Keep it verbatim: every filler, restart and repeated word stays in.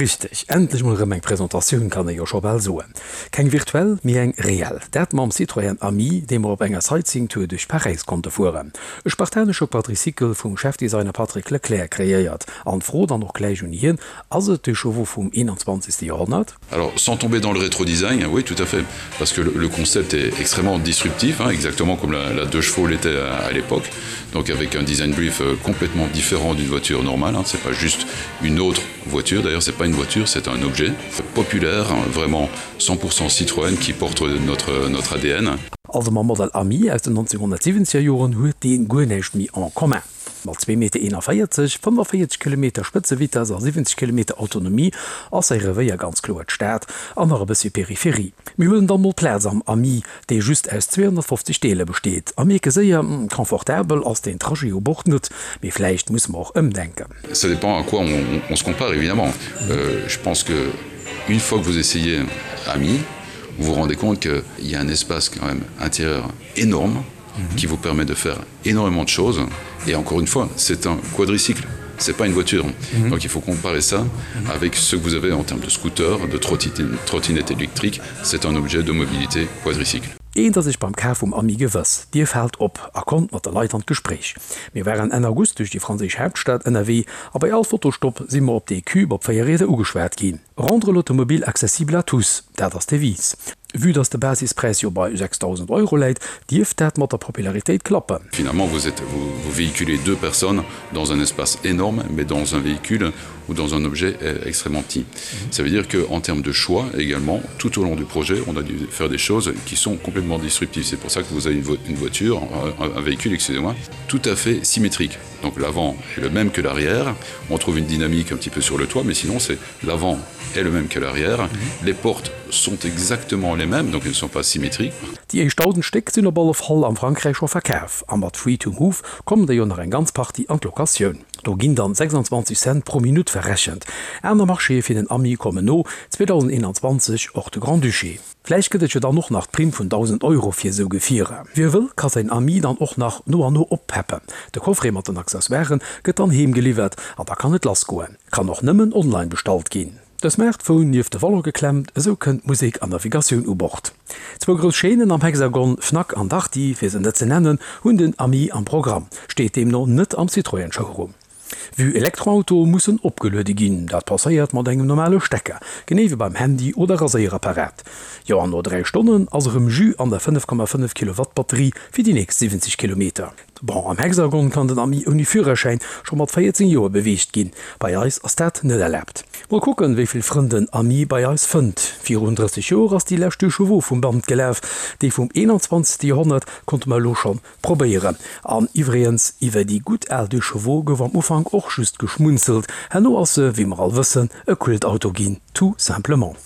Richteg, endlech mol erëm eng Presentatioun, kann ee jo scho bal soen. Keng virtuell, mee eng reell. Dat mam Citroën Ami, dee mer op enger Sightseeing-Tour duerch Paräis konnte fueren. E spartanesche Quadricycle vum Chefdesigner Patrick Leclerc kreéiert. An d'Fro dann och gläich un hien, Ass et de Chevaux vum einundzwanzegste Joerhonnert? Alors, sans tomber dans le rétro-design, oui, tout à fait. Parce que le, le concept est extrêmement disruptif, hein, exactement comme la, la deux chevaux l'était à, à l'époque. Donc avec un design brief euh, complètement différent d'une voiture normale. Hein, c'est pas juste une autre voiture. D'ailleurs, c'est pas une voiture, c'est un objet populaire, vraiment cent pour cent Citroën qui porte notre, notre A D N. Also mam Model Ami aus den nonzénghonnertsiwwenzeger Joren huet deen guer näischt méi en commun. Mat zwee Meter eenanvéierzeg, fënnefenvéierzeg Kilometer Spëtzevitess a siwwenzeg Kilometer Autonomie ass säi Revéier ganz kloer d'Stad an nach e bëssi Peripherie. Mir huelen dann mol Plaz am Ami, dee just aus zweehonnertfofzeg Deeler besteet, a mierke séier, confortabel ass den Trajet u Bord net, mee vläicht musse mer och ëmdenken. Ça dépend à quoi on, on se compare évidemment. Euh, je pense que une fois que vous essayez Ami, vous vous rendez compte qu'il y a un espace quand même intérieur énorme mmh. qui vous permet de faire énormément de choses. Et encore une fois, c'est un quadricycle, c'est pas une voiture. Mmh. Donc il faut comparer ça mmh. avec ce que vous avez en termes de scooter, de trottinette électrique, c'est un objet de mobilité quadricycle. Eent ass sech beim Kaf vum Ami gewëss, Dir faalt op a kommt mat de Leit an d'Gespréich. Mir waren Enn August duerch déi franséisch Haaptstad ënnerwee a bei all Fotostopp si mer op dee Cube op véier Rieder ugeschwat ginn. Rendre l'automobile accessible à tous, dat ass d'Devise. Vue dass de Basispräis jo bei sechsdausend Euro läit, dierft dat mat der Popularitéit klappen. Finalement, vous êtes, vous, vous véhiculez deux personnes dans un espace énorme, mais dans un véhicule ou dans un objet extrêmement petit. Ça veut dire qu'en termes de choix également, tout au long du projet, on a dû faire des choses qui sont complètement disruptives. C'est pour ça que vous avez une, vo une voiture, un, un véhicule, excusez-moi, tout à fait symétrique. Donc l'avant est le même que l'arrière. On trouve une dynamique un petit peu sur le toit, mais sinon c'est l'avant est le même que l'arrière. Mm -hmm. Les portes sont exactement les mêmes, donc elles ne sont pas symétriques. Déi éischt dausend Stéck sinn op alle Fall am Frankräich scho verkaf a mat Free to Move kommen der jo nach eng ganz Partie an d'Locatioun. Do ginn dann sechsundzwanzeg Cent pro Minutt verrechent. Aner Marchéë fir den Ami kommen no zweedausendeenanzwanzeg, och de Grand-Duché. Vläicht gëtt et jo dann och nach d'Primm vun dausend Euro fir esou Gefierer. Wie wëll, ka säin Ami dann och nach no an no oppeppen. De Coffret mat den Accessoiren gëtt dann heem geliwwert an da kann et lass goen. Kann och nëmmen online bestallt ginn. De Smartphone nieft de Volant geklemmt, esou kënnt Musek an Navigatioun u Bord. Zwou grouss Chaînen am Hexagon, Fnac an Darty, fir se net ze nennen, hunn den Ami am Programm, steet deemno net am Citroën-Showroom. Vue Elektroautoe mussen opgeluede ginn, dat passéiert mat engem normale Stecker, genee wéi beim Handy oder Raséierapparat. Jo, an no dräi Stonnen ass erëm Jus an der fënnef Komma fënnef Kilowatt Batterie fir déi nächst siwwenzeg Kilometer. Bon, am Hexagon kann den Ami ouni Führerschäin scho mat véierzéng Joer beweegt ginn, bei eis ass dat net erlaabt. Mol kucken, wéi vill Frënn den Ami bei eis fënnt. Virun drësseg Joer ass déi lescht Deux Chevaux vum Band gelaf, déi vum eenanzwanzegste Joerhonnert konnte mer elo schonn probéieren. An iwwregens, iwwer déi gutt al Deux Chevaux gouf am Ufank och just geschmunzelt, herno ass se, wéi mer all wëssen, e Kultauto ginn, tout simplement.